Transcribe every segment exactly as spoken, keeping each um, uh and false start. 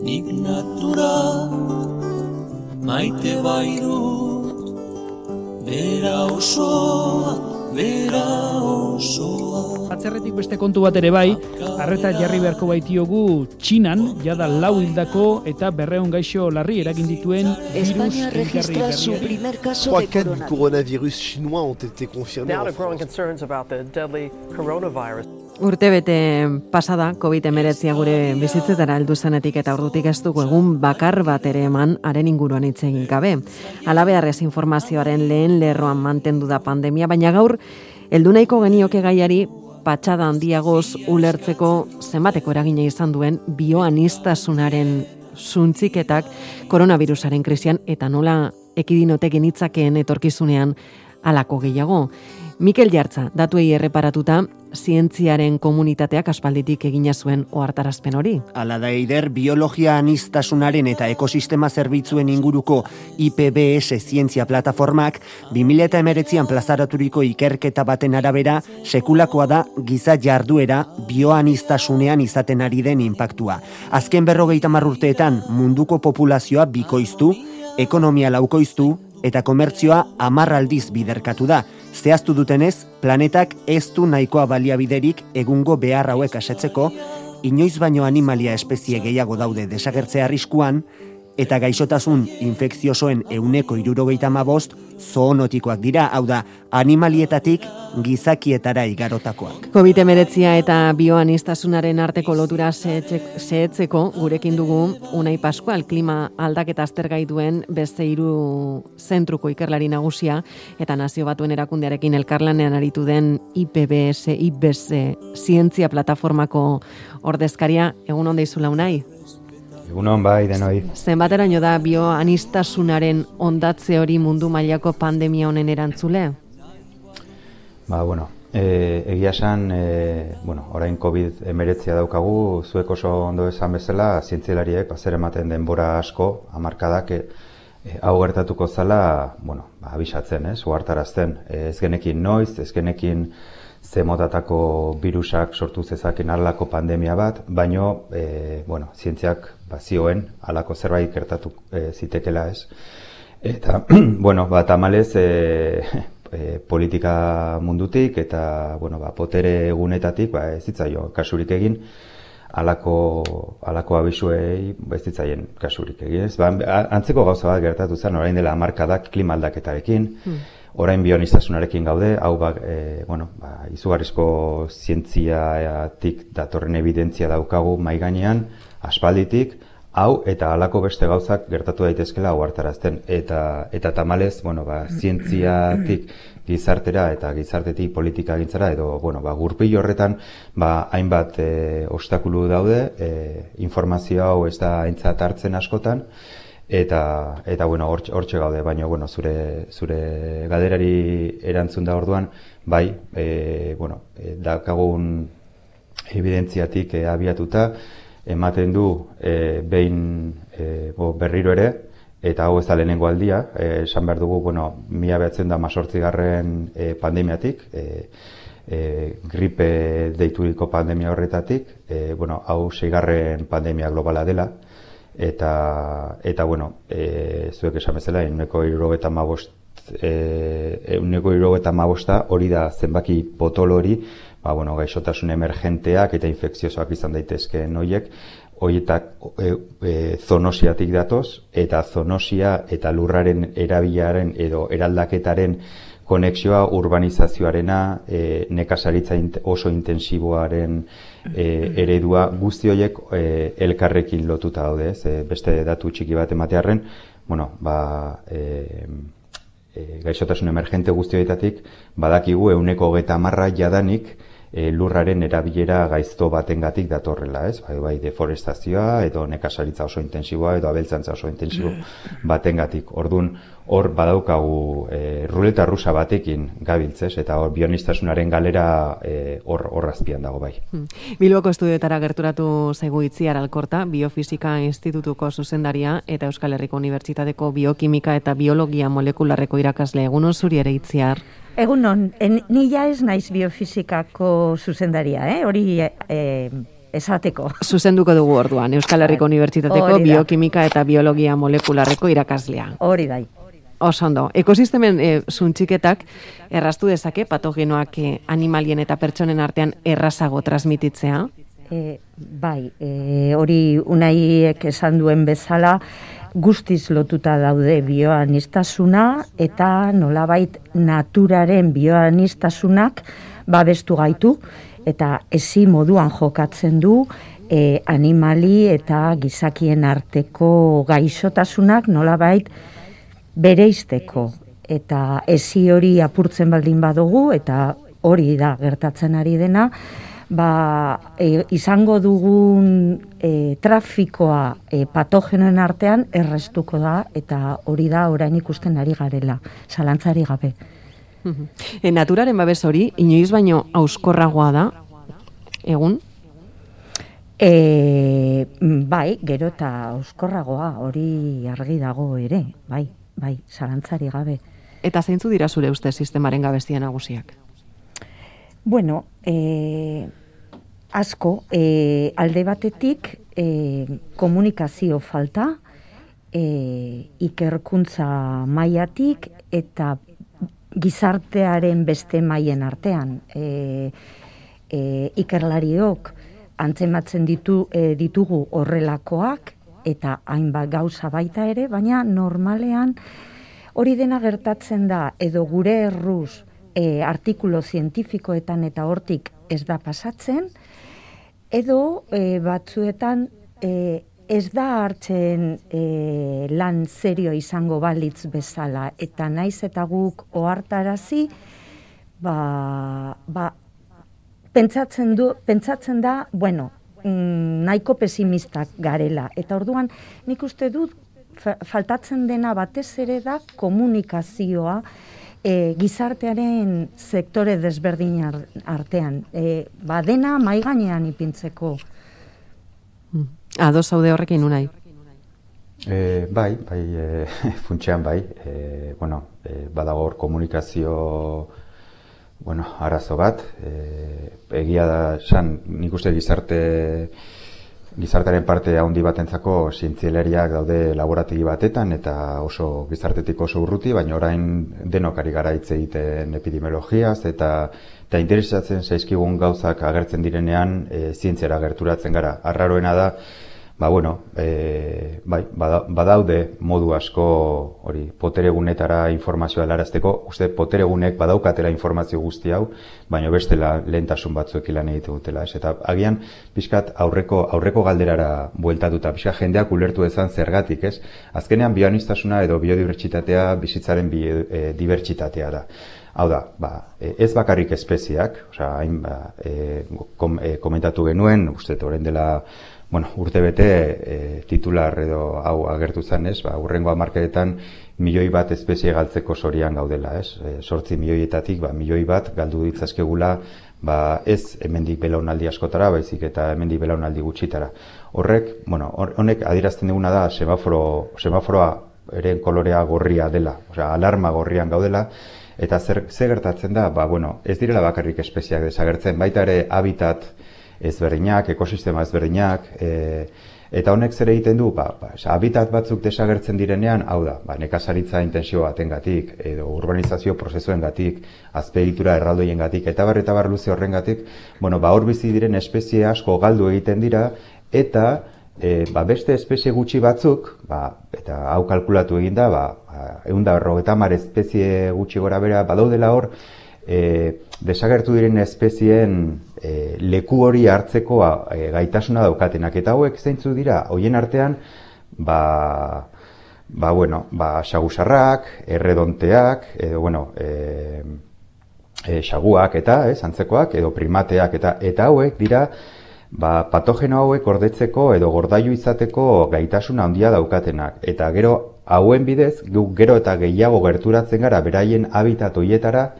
nik natura maite bairut, bera osoa, bera osoa. Atzerretik beste kontu bat ere bai, arreta jarri beharko baitiogu Txinan, jada lau hildako eta berrehun gaixo larri eragin dituen virus registra su primer caso de coronavirus. coronavirus chinois ont été confirmés. Now there are growing concerns about the deadly coronavirus. Urtebete pasada covid hemeretzi gure bizitzetara heldu zenetik eta ordutik ez dugu egun bakar bat ere eman haren inguruan hitz egin gabe. Halabeharrez informazioaren lehen lerroan mantendu da pandemia, baina gaur heldu nahiko genioke gaiari patxada handiagoz ulertzeko zenbateko eragina izan duen bioanistasunaren suntziketak koronavirusaren krisian eta nola ekidinote genitzakeen etorkizunean halako gehiago. Mikel Jartza, datuei erreparatuta, zientziaren komunitateak aspalditik egina zuen ohartarazpen hori. Hala da eider, biologia anistasunaren eta ekosistema zerbitzuen inguruko I P B S zientzia plataformak bi mila hemeretzian plazaraturiko ikerketa baten arabera sekulakoa da giza jarduera bioanistasunean izaten ari den inpaktua. Azken berrogeita hamar urteetan munduko populazioa bikoiztu, ekonomia laukoiztu eta komertzioa hamar aldiz biderkatu da. Zehaztu dutenez, planetak ez du nahikoa baliabiderik egungo behar hauek asetzeko, inoiz baino animalia espezie gehiago daude desagertzea arriskuan, eta gaixotasun infekziosoen ehuneko hirurogeita hamabost zoonotikoak dira, hau da, animalietatik gizakietara igarotakoak. covid hemeretzia eta bioanistasunaren arteko lotura zehetzeko gurekin dugu Unai Pascual, klima aldaketa aztergai duen beste hiru zentruko ikerlari nagusia eta Nazio Batuen Erakundearekin elkarlanean aritu den I P B S, I B S zientzia plataformako ordezkaria. Egun on deizula, Unai? Egunon bai, denoi. Zenbateraino da bioanistasunaren ondatze hori mundu mailako pandemia honen erantzule? Ba, bueno, e, egia esan, e, bueno, orain covid hemeretzia daukagu, zuek oso ondo esan bezala, zientzialariek zer ematen denbora asko, hamarkadak, e, e, hau gertatuko zala, bueno, ba, abisatzen, ez, uhartarazten, e, ez genekin noiz, ez genekin ze motatako virusak sortu zezaken halako pandemia bat, baino, e, bueno, zientziak bazioen halako zerbait gertatu e, zitekela, ez. Eta, bueno, ba, tamalez, e, e, politika mundutik eta, bueno, ba, potere egunetatik, ba, ez zitzaio kasurik egin, halako halako abisuei ez zitzaien kasurik egin, ez. Ba, antzeko gauza bat gertatu zen, orain dela hamarkadak klima aldaketarekin, hmm. Orain bioanistasunarekin gaude, hau ba, e, bueno, ba, izugarrizko zientziatik datorren evidentzia daukagu mai gainean, aspalditik, hau eta halako beste gauzak gertatu daitezkela ohartarazten. Eta eta tamalez, bueno, ba, zientziatik gizartera eta gizartetik politika gintzara, edo, bueno, ba, gurpil horretan, ba, hainbat e, obstakulu daude, e, informazio hau ez da aintzat hartzen askotan, Eta, eta bueno, hortxe gaude, baina, bueno, zure, zure galderari erantzun da orduan, bai, e, bueno, e, daukagun evidentziatik e, abiatuta, ematen du e, behin e, bo, berriro ere, eta hau ez da lehenengo aldia, e, esan behar dugu, bueno, mila behatzen da mazortzigarren e, pandemiatik, e, e, gripe deituriko pandemia horretatik, e, bueno, hau seigarren pandemia globala dela, Eta, eta bueno, e, zuek esan bezala, ehuneko hirurogeita hamabost, ehuneko hirurogeita hamabosta hori da zenbaki potolo hori, ba, bueno, gaixotasun emergenteak eta infekziosoak izan daitezkeen horiek, horietak e, e, zoonosiatik datoz, eta zoonosia eta lurraren erabilaren edo eraldaketaren konexioa urbanizazioarena, e, nekazaritza oso intensiboaren e, eredua, guzti horiek e, elkarrekin lotuta daude, ez? E, beste datu txiki bat ematearren, bueno, ba, e, e, gaixotasun emergente guzti horietatik, badakigu ehuneko hogeita hamarra jadanik e, lurraren erabilera gaizto batengatik datorrela, ez? Bai, bai, deforestazioa edo nekazaritza oso intensiboa edo abeltzantza oso intensibo batengatik. Ordun hor badaukagu e, ruleta rusa batekin gabiltzez, eta hor bionistasunaren galera hor e, azpian dago bai. Hmm. Bilboko estudioetara gerturatu zaigu Itziar Alkorta, Biofisika Institutuko zuzendaria eta Euskal Herriko Unibertsitateko Biokimika eta Biologia Molekularreko irakasle. Egunon zuri ere, Itziar? Egunon, ni ja ez naiz biofisikako zuzendaria, eh? Hori e, esateko. Zuzenduko dugu orduan, Euskal Herriko Unibertsitateko biokimika eta biologia molekularreko irakaslea. Hori bai. Oso ondo. Ekosistemen e, zuntxiketak erraztu dezake patogenoak e, animalien eta pertsonen artean errazago transmititzea? E, bai, e, hori Unaiek esan duen bezala guztiz lotuta daude bioaniztasuna eta nolabait naturaren bioaniztasunak babestu gaitu eta ezi moduan jokatzen du e, animali eta gizakien arteko gaixotasunak nolabait bereizteko eta ezi hori apurtzen baldin badugu eta hori da gertatzen ari dena, ba, e, izango dugun e, trafikoa e, patogenoen artean errestuko da eta hori da orain ikusten ari garela, zalantzari gabe. E, naturaren babes hori, inoiz baino hauskorragoa da, egun? E, bai, gero eta hauskorragoa, hori argi dago ere, bai, bai, zalantzari gabe. Eta zeintzu dira zure uste sistemaren gabezia nagusiak? Bueno, e, asko, e, alde batetik e, komunikazio falta, e, ikerkuntza mailatik eta gizartearen beste mailen artean. E, e, ikerlariok antzematzen ditu, e, ditugu horrelakoak eta hainbat gauza baita ere, baina normalean hori dena gertatzen da edo gure erruz e, artikulo zientifikoetan eta hortik ez da pasatzen, edo e, batzuetan e, ez da hartzen e, lan serio izango balitz bezala, eta naiz eta guk ohartarazi, ba, ba, pentsatzen, du, pentsatzen da, bueno, mm, nahiko pesimistak garela, eta orduan nik uste dut faltatzen dena batez ere da komunikazioa e, gizartearen sektore desberdin artean. E, ba dena mai gainean ipintzeko. Ados zaude horrekin Unai? E, bai, bai, e, funtsean bai. E, bueno, e, badago hor komunikazio bueno, arazo bat. E, egia da, san, nik uste gizarte Gizartearen parte handi batentzako zientzialariak daude laborategi batetan eta oso gizartetik oso urruti, baina orain denok ari gara hitz egiten epidemiologiaz eta eta interesatzen zaizkigun gauzak agertzen direnean e, zientziara gerturatzen gara. Arraroena da, ba bueno, e, bai, badaude modu asko hori poteregunetara informazioa helarazteko, uste poteregunek badaukatela informazio guzti hau, baina bestela lehentasun batzuekin lan egite dutela, ez? Eta agian pixkat aurreko aurreko galderara bueltatuta, pixkat jendeak ulertu dezan zergatik, ez? Azkenean bioaniztasuna edo biodibertsitatea bizitzaren bi, e, dibertsitatea da. Hau da, ba, ez bakarrik espezieak, osea, hain ba, e, kom, e, komentatu genuen, uste orain dela bueno, urte bete e, titular edo hau agertu zen, ez? Ba, urrengo hamarkadetan milioi bat espezie galtzeko zorian gaudela, ez? E, sortzi milioietatik, ba, milioi bat galdu ditzazkegula, ba, ez hemendik belaunaldi askotara, baizik eta hemendik belaunaldi gutxitara. Horrek, bueno, honek adierazten duguna da semaforo, semaforoa eren kolorea gorria dela, osea, alarma gorrian gaudela, eta zer, zer gertatzen da, ba, bueno, ez direla bakarrik espeziak desagertzen, baita ere habitat ezberdinak, ekosistema ezberdinak, e, eta honek zer egiten du, ba, ba, habitat batzuk desagertzen direnean, hau da, ba, nekazaritza intensio batengatik, edo urbanizazio prozesuengatik, azpiegitura erraldoiengatik, eta bar eta bar luze horrengatik, bueno, ba, hor bizi diren espezie asko galdu egiten dira, eta e, ba, beste espezie gutxi batzuk, ba, eta hau kalkulatu egin da, ba, ehun eta berrogeita hamar espezie gutxi gora bera, badaudela hor, e, desagertu diren espezieen e, leku hori hartzeko e, gaitasuna daukatenak. Eta hauek zeintzu dira, hoien artean, ba, ba, bueno, ba, xagusarrak, erredonteak, edo, bueno, e, e, xaguak eta, ez, antzekoak, edo primateak, eta eta hauek dira, ba, patogeno hauek gordetzeko edo gordailu izateko gaitasuna handia daukatenak. Eta gero, hauen bidez, gero eta gehiago gerturatzen gara beraien habitat hoietara,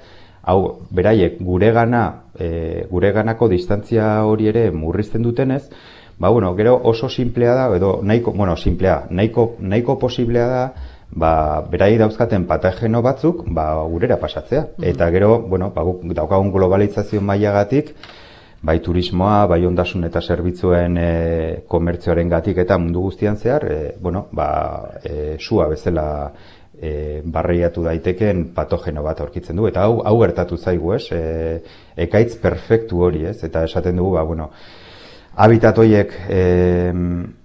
hau, beraiek guregana, e, gureganako distantzia hori ere murrizten dutenez, ba, bueno, gero oso simplea da, edo nahiko, bueno, simplea, nahiko, nahiko posiblea da, ba, berai dauzkaten patogeno batzuk, ba, gurera pasatzea. Mm-hmm. Eta gero, bueno, ba, daukagun globalizazio mailagatik, bai turismoa, bai ondasun eta zerbitzuen e, komertzioaren gatik eta mundu guztian zehar, e, bueno, ba, e, sua bezala e, barreiatu daiteken patogeno bat aurkitzen du, eta hau, hau gertatu zaigu, ez? E, ekaitz perfektu hori, ez? Eta esaten dugu, ba, bueno, habitat horiek e,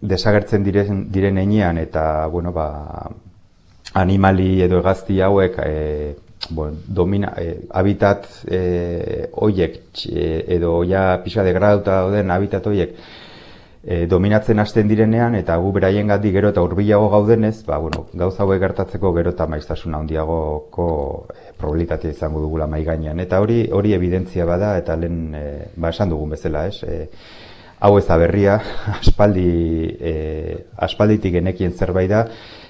desagertzen diren, diren enean, eta, bueno, ba, animali edo hegazti hauek, e, bueno, domina, eh, habitat eh, oiek eh, edo ja pisa degraduta dauden habitat oiek eh, dominatzen hasten direnean eta gu beraiengatik gero eta hurbilago gaudenez, ba, bueno, gauza hauek gertatzeko gero eta maiztasuna handiagoko eh, probabilitatea izango dugula mai gainean. Eta hori hori evidentzia bada eta lehen eh, ba, esan dugun bezala, ez? Eh, hau ez da berria, aspaldi, eh, aspalditik genekien zerbait da,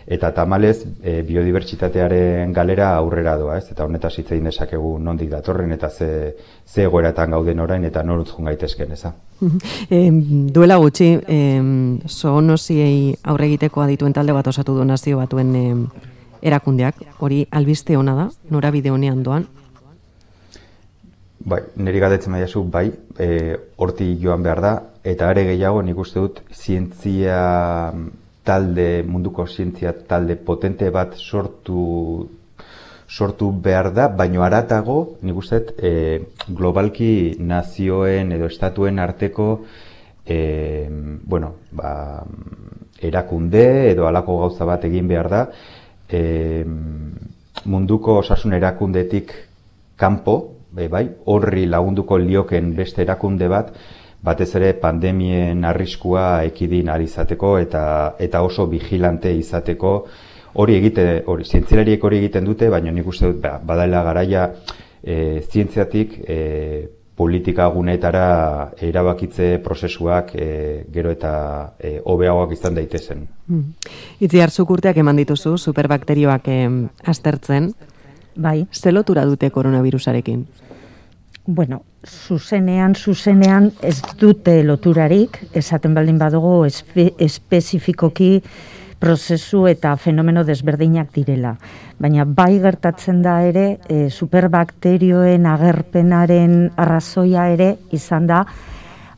eta tamalez e, biodibertsitatearen galera aurrera doa, ez? Eta honetaz hitz egin dezakegu nondik datorren eta ze, ze egoeratan gauden orain eta norutz joan gaitezken, eza. E, duela gutxi, e, zoonosiei aurre egiteko adituen talde bat osatu du Nazio Batuen e, erakundeak, hori albiste ona da, norabide honean doan? Bai, niri galdetzen baiazu, bai, e, horti joan behar da, eta are gehiago nik uste dut zientzia talde, munduko zientzia talde potente bat sortu sortu behar da, baino haratago, nik uste, e, globalki nazioen edo estatuen arteko e, bueno, ba, erakunde edo halako gauza bat egin behar da, e, munduko osasun erakundetik kanpo, e, bai, horri lagunduko lioken beste erakunde bat, batez ere pandemien arriskua ekidin ari izateko eta eta oso vigilante izateko hori egite hori zientzialariek hori egiten dute, baina nik uste dut ba, badaela garaia e, zientziatik e, politika guneetara erabakitze prozesuak e, gero eta e, hobeagoak izan daitezen. Hmm. Itzi hartzuk urteak eman dituzu superbakterioak e, aztertzen. Bai. Ze lotura dute koronavirusarekin? Bueno, zuzenean, zuzenean ez dute loturarik, esaten baldin badugu espe, espezifikoki prozesu eta fenomeno desberdinak direla. Baina bai gertatzen da ere, e, superbakterioen agerpenaren arrazoia ere izan da,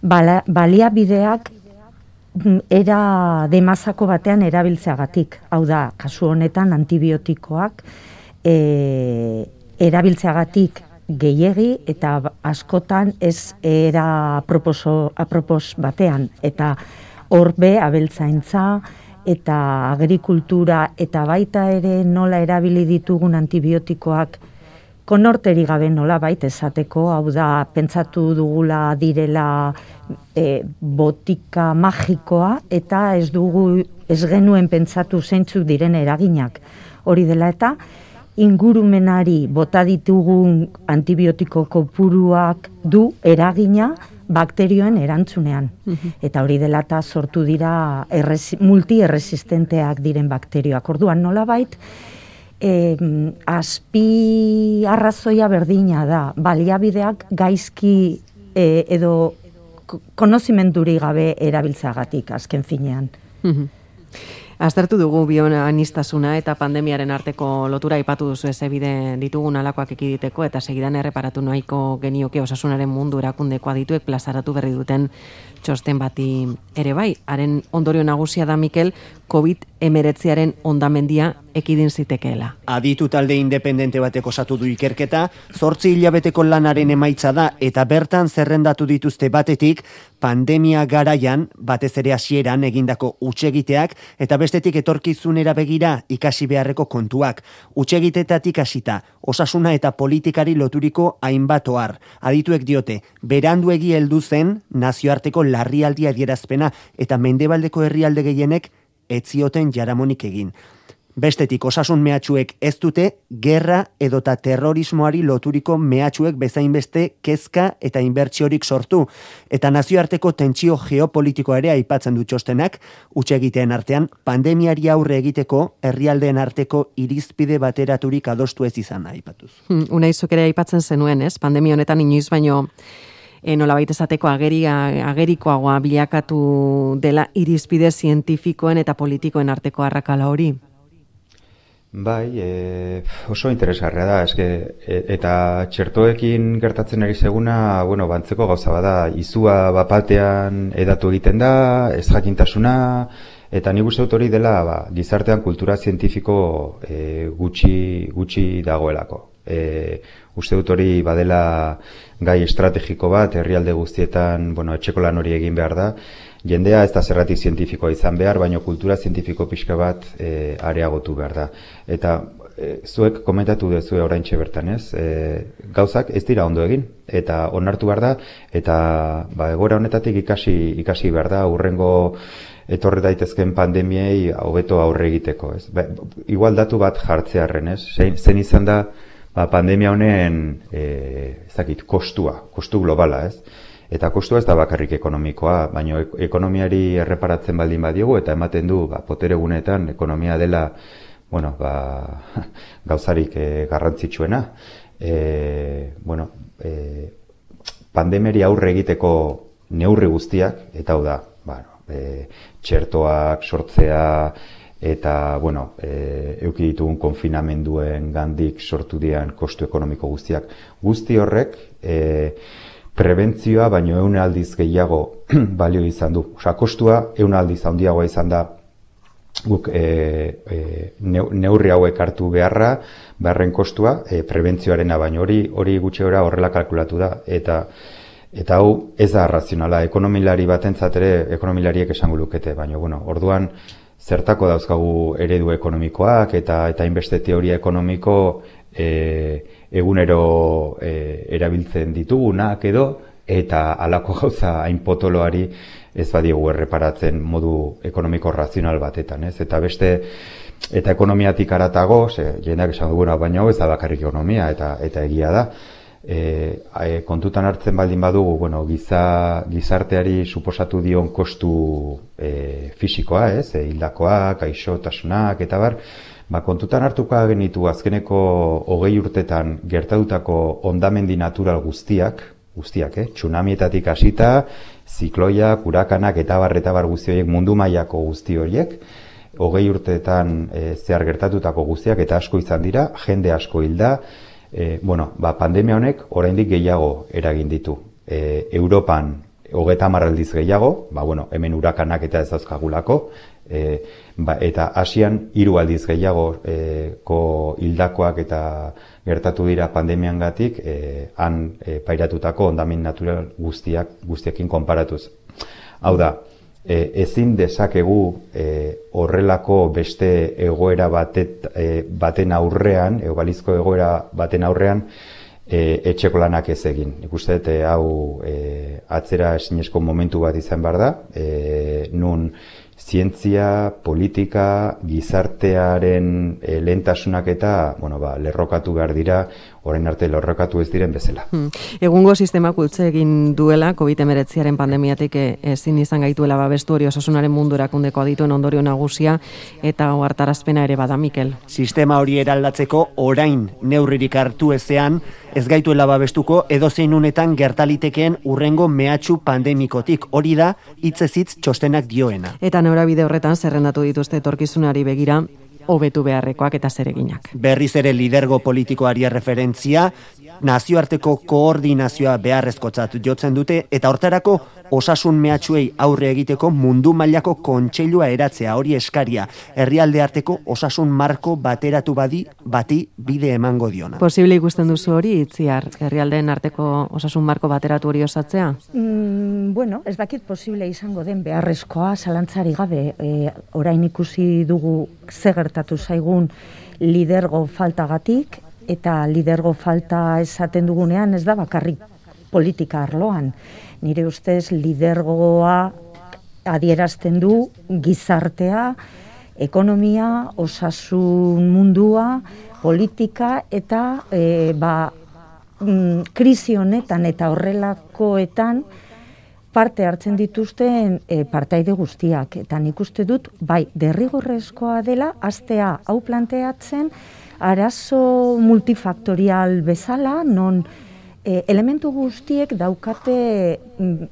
bala, baliabideak era demazako batean erabiltzeagatik. Hau da, kasu honetan antibiotikoak e, erabiltzeagatik gehiegi eta askotan ez era proposo, apropos batean. Eta horbe abeltzaintza eta agrikultura eta baita ere nola erabili ditugun antibiotikoak konorteri gabe nola baita esateko, hau da pentsatu dugula direla e, botika magikoa eta ez dugu ez genuen pentsatu zeintzuk diren eraginak. Hori dela eta ingurumenari bota ditugun antibiotiko kopuruak du eragina bakterioen erantzunean. Eta hori dela eta sortu dira erresi, multierresistenteak diren bakterioak. Orduan nolabait eh, azpi arrazoia berdina da. Baliabideak gaizki eh, edo konozimenduri gabe erabiltzagatik azken finean. Aztertu dugu bioanistasuna eta pandemiaren arteko lotura aipatu duzu ez ebide ditugun alakoak ekiditeko eta segidan erreparatu nahiko genioke osasunaren mundu erakundeko adituek plazaratu berri duten txosten bati ere bai. Haren ondorio nagusia da, Mikel, covid hemeretziaren ondamendia ekidin zitekeela. Aditu talde independente batek osatu du ikerketa, zortzi hilabeteko lanaren emaitza da eta bertan zerrendatu dituzte batetik pandemia garaian, batez ere hasieran egindako hutsegiteak eta bestetik etorkizunera begira ikasi beharreko kontuak. Hutsegitetatik hasita, osasuna eta politikari loturiko hainbat ohar. Adituek diote, beranduegi heldu zen nazioarteko larrialdi adierazpena eta mendebaldeko herrialde gehienek ez zioten jaramonik egin. Bestetik osasun mehatxuek ez dute gerra edota terrorismoari loturiko mehatxuek bezainbeste kezka eta inbertsiorik sortu. Eta nazioarteko tentsio geopolitikoa ere aipatzen du txostenak, hutsegiteen artean pandemiari aurre egiteko herrialdeen arteko irizpide bateraturik adostu ez izan aipatuz. Hmm, Unaizok ere aipatzen zenuen, ez? Pandemia honetan inoiz baino e, nolabait esateko ageria, agerikoagoa bilakatu dela irizpide zientifikoen eta politikoen arteko arrakala hori. Bai, e, oso interesgarria da, eske, e, eta txertoekin gertatzen ari seguna, bueno, bantzeko gauza bada, izua bapatean edatu egiten da, ez jakintasuna, eta nik uste dut hori dela ba, gizartean kultura zientifiko e, gutxi, gutxi dagoelako. E, uste dut hori badela gai estrategiko bat, herrialde guztietan, bueno, etxeko lan hori egin behar da, jendea ez da zerratik zientifikoa izan behar, baina kultura zientifiko pixka bat e, areagotu behar da. Eta e, zuek komentatu dezue oraintxe bertan, ez? E, gauzak ez dira ondo egin, eta onartu behar da, eta ba, egoera honetatik ikasi, ikasi behar da, hurrengo etorre daitezken pandemiei hobeto aurre egiteko, ez? Ba, igual datu bat jartzearren, ez? Zen, zen izan da ba, pandemia honen e, ezakit, kostua, kostu globala, ez? Eta kostua ez da bakarrik ekonomikoa, baina ekonomiari erreparatzen baldin badiogu, eta ematen du ba, potere gunetan ekonomia dela bueno, ba, gauzarik e, garrantzitsuena. E, bueno, e, pandemiari aurre egiteko neurri guztiak, eta hau da, bueno, e, txertoak sortzea, eta, bueno, e, euki ditugun konfinamenduen gandik sortu dian kostu ekonomiko guztiak. Guzti horrek, e, prebentzioa baino ehun aldiz gehiago balio izan du. Osa, kostua ehun aldiz handiagoa izan da guk e, e, neurri hauek hartu beharra, beharren kostua, e, prebentzioarena baino hori hori gutxi gora horrela kalkulatu da. Eta eta hau ez da razionala, ekonomilari batentzat ere ekonomilariek esango lukete, baina bueno, orduan zertako dauzkagu eredu ekonomikoak eta eta hainbeste teoria ekonomiko e, egunero e, erabiltzen ditugunak edo, eta halako gauza hain potoloari ez badiegu erreparatzen modu ekonomiko razional batetan, ez? Eta beste, eta ekonomiatik haratago, ze, jendeak esan duguna, baina hau ez da bakarrik ekonomia, eta eta egia da. E, e, kontutan hartzen baldin badugu, bueno, giza, gizarteari suposatu dion kostu e, fisikoa, ez? E, hildakoak, gaixotasunak, eta bar, ba, kontutan hartuko genitu azkeneko hogei urtetan gertatutako hondamendi natural guztiak, guztiak, eh? Tsunamietatik hasita, zikloiak, urakanak eta bar eta bar guzti horiek, mundu mailako guzti horiek, hogei urteetan e, zehar gertatutako guztiak eta asko izan dira, jende asko hilda, e, bueno, ba, pandemia honek oraindik gehiago eragin ditu. E, Europan hogeita hamar aldiz gehiago, ba, bueno, hemen urakanak eta ez dauzkagulako, e, ba, eta Asian hiru aldiz gehiago e, ko hildakoak eta gertatu dira pandemiangatik, e, han e, pairatutako hondamen natural guztiak guztiekin konparatuz. Hau da, e, ezin dezakegu e, horrelako beste egoera batet, e, baten aurrean, egalizko egoera baten aurrean, e, etxeko lanak ez egin. Nik uste dut hau e, atzera ezinezko momentu bat izan behar da, e, nun zientzia, politika, gizartearen e, lehentasunak eta bueno, ba, lerrokatu behar dira, orain arte lerrokatu ez diren bezala. Hmm. Egungo sistemak utzi egin duela, covid hemeretziaren pandemiatik ezin izan gaituela babestu hori osasunaren mundu erakundeko adituen ondorio nagusia, eta ohartarazpena ere bada, Mikel. Sistema hori eraldatzeko orain neurririk hartu ezean, ez gaituela babestuko edozein unetan gertalitekeen urrengo mehatxu pandemikotik. Hori da, hitzez hitz txostenak dioena. Eta norabide horretan zerrendatu dituzte etorkizunari begira hobetu beharrekoak eta zereginak. Berriz ere lidergo politikoari referentzia, nazioarteko koordinazioa beharrezkotzat jotzen dute, eta hortarako osasun mehatxuei aurre egiteko mundu mailako kontseilua eratzea, hori eskaria, herrialde arteko osasun marko bateratu badi bati bide emango diona. Posible ikusten duzu hori, Itziar, herrialdeen arteko osasun marko bateratu hori osatzea? Mm, bueno, ez dakit posible izango den beharrezkoa, zalantzari gabe, e, orain ikusi dugu ze gertatu zaigun lidergo faltagatik, eta lidergo falta esaten dugunean ez da bakarrik politika arloan. Nire ustez lidergoa adierazten du gizartea, ekonomia, osasun mundua, politika eta e, ba, mm, krisi honetan eta horrelakoetan parte hartzen dituzten e, partaide guztiak. Eta nik uste dut, bai, derrigorrezkoa dela, hastea hau planteatzen, arazo multifaktorial bezala, non e, elementu guztiek daukate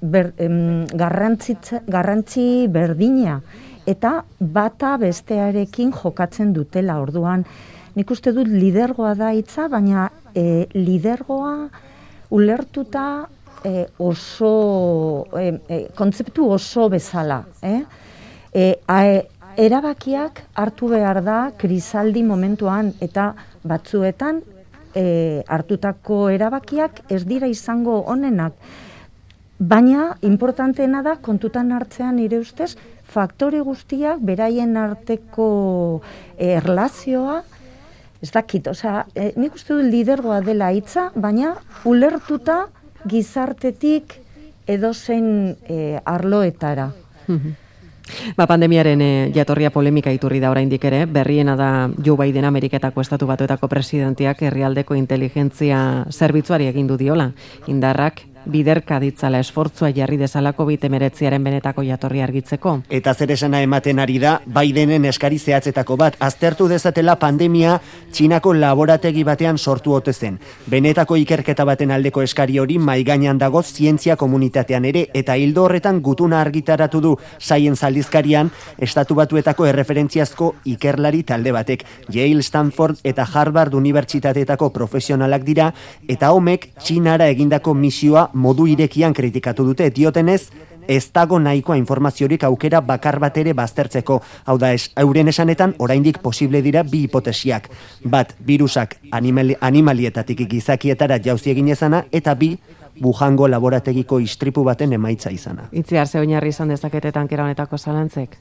ber, em, garrantzi berdina. eta bata bestearekin jokatzen dutela. Orduan, nik uste dut lidergoa da hitza, baina e, lidergoa ulertuta e, oso, e, e, kontzeptu oso bezala. Eh? E, a, erabakiak hartu behar da krisaldi momentuan, eta batzuetan e, hartutako erabakiak ez dira izango onenak. Baina, importanteena da, kontutan hartzean nire ustez, faktore guztiak, beraien arteko e, erlazioa, ez dakit, osea, e, nik uste dut lidergoa dela hitza, baina ulertuta gizartetik edozein e, arloetara. Ba, pandemiaren e, jatorria polemika iturri da oraindik ere, berriena da Joe Biden Ameriketako Estatu Batuetako presidentiak herrialdeko inteligentzia zerbitzuari egindu diola. Indarrak biderka ditzala esfortzua jarri dezala covid hemeretziaren benetako jatorria argitzeko. Eta zer esana ematen ari da, Bidenen eskari zehatzetako bat, aztertu dezatela pandemia Txinako laborategi batean sortu ote zen. Benetako ikerketa baten aldeko eskari hori maigainan dago zientzia komunitatean ere, eta hildo horretan gutuna argitaratu du Science aldizkarian Estatu Batuetako erreferentziazko ikerlari talde batek. Yale, Stanford eta Harvard unibertsitateetako profesionalak dira, eta homek Txinara egindako misioa modu irekian kritikatu dute, diotenez, ez dago nahikoa informaziorik aukera bakar bat ere baztertzeko. Hau da, es, euren esanetan, oraindik posible dira bi hipotesiak. Bat, virusak animali, animalietatik gizakietara jauzi egin ezana, eta bi, Wuhango laborategiko istripu baten emaitza izana. Itziar, ze oinarri izan dezakete tankera honetako zalantzek?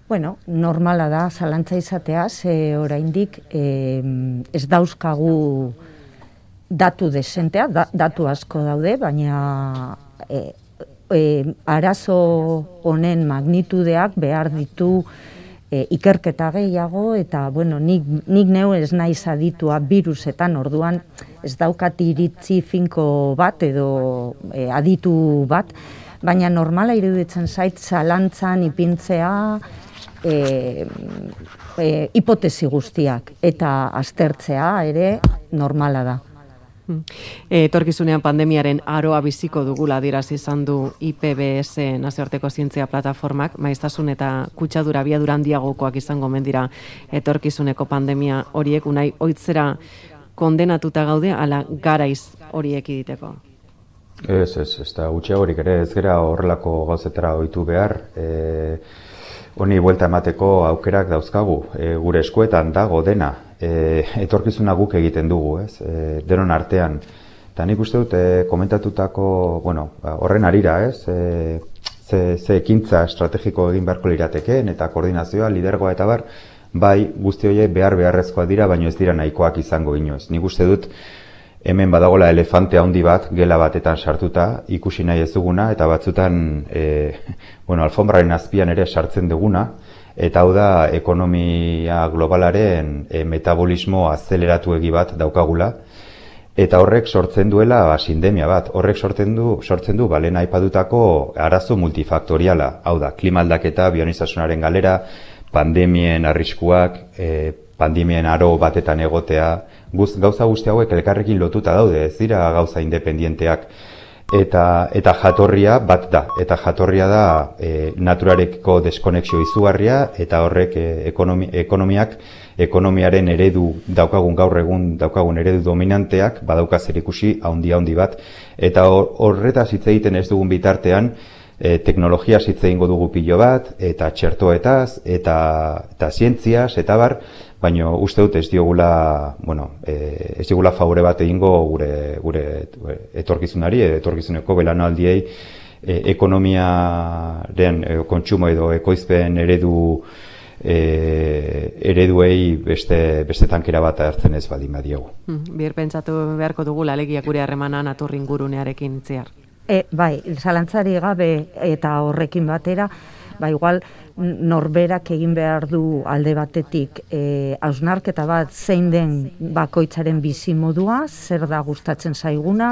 Bueno, normala da zalantza izatea, ze oraindik eh, ez dauzkagu datu desentea, da, datu asko daude, baina e, e, arazo honen magnitudeak behar ditu e, ikerketa gehiago, eta bueno, nik, nik neu ez naiz aditua virusetan, orduan ez daukat iritzi finko bat edo e, aditu bat, baina normala iruditzen zait zalantzan ipintzea e, e, hipotesi guztiak, eta aztertzea ere normala da. Etorkizunean pandemiaren aroa biziko dugula adierazi izan du I P B S nazioarteko zientzia plataformak, maiztasun eta kutsadura abiadura handiagokoak izango mendira etorkizuneko pandemia horiek, unai ohitzera kondenatuta gaude ala garaiz horiek egiteko? Ez, ez, ez da gutxiagorik ere, ez gera horrelako gauzetara ohitu behar. E, honi buelta emateko aukerak dauzkagu, e, gure eskuetan dago dena. E, etorkizuna guk egiten dugu, ez? E, denon artean. Eta nik uste dut, e, komentatutako, bueno, horren arira, ez? E, ze, ze ekintza estrategiko egin beharko liratekeen, eta koordinazioa, lidergoa eta bar, bai guzti horiek behar beharrezkoa dira, baino ez dira nahikoak izango inoiz. Nik uste dut, hemen badagola elefante handi bat, gela batetan sartuta, ikusi nahi ez duguna, eta batzutan, e, bueno, alfombraren azpian ere sartzen duguna, eta hau da ekonomia globalaren e, metabolismo azeleratu egi bat daukagula, eta horrek sortzen duela ba, sindemia bat, horrek sortzen du, sortzen du balen aipadutako arazo multifaktoriala, hau da, klima aldaketa, bionizasunaren galera, pandemien arriskuak, e, pandemien aro batetan egotea, guz, gauza guzti hauek elkarrekin lotuta daude, ez dira gauza independienteak, eta eta jatorria bat da, eta jatorria da e, naturarekiko deskonexio izugarria, eta horrek e, ekonomi, ekonomiak, ekonomiaren eredu daukagun gaur egun daukagun eredu dominanteak badauka zerikusi handi handi bat, eta horretaz hitz egiten ez dugun bitartean, e, teknologia hitz egingo dugu pilo bat, eta txertoetaz, eta eta zientziaz, eta bar, baina uste dut ez diogula, bueno, e, ez diogula favore bat egingo gure, gure etorkizunari, etorkizuneko belanaldiei e, ekonomiaren e, kontsumo edo ekoizpen eredu e, ereduei beste, beste tankera bat hartzen ez baldin badiegu. Hmm, bir pentsatu beharko dugula alegia gure harremana naturringurunearekin itziar. E, bai, zalantzari gabe eta horrekin batera, ba igual norberak egin behar du alde batetik e, hausnarketa bat zein den bakoitzaren bizi modua, zer da gustatzen zaiguna,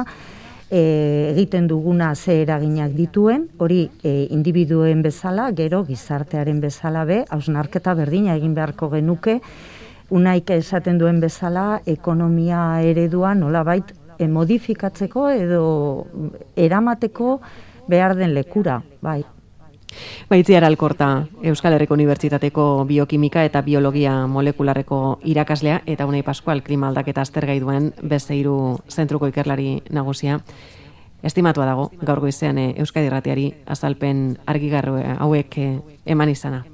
e, egiten duguna ze eraginak dituen, hori e, individuen bezala, gero gizartearen bezala be, hausnarketa berdina egin beharko genuke, unaik esaten duen bezala ekonomia eredua nolabait e, modifikatzeko edo eramateko behar den lekura, bai. Baitziar Alkorta, Euskal Herriko Unibertsitateko biokimika eta biologia molekularreko irakaslea, eta Unai Pascual, klima aldaketa aztergai duen beste hiru zentruko ikerlari nagusia. Estimatua dago gaur goizean Euskadi Irratiari azalpen argigarri hauek eman izana.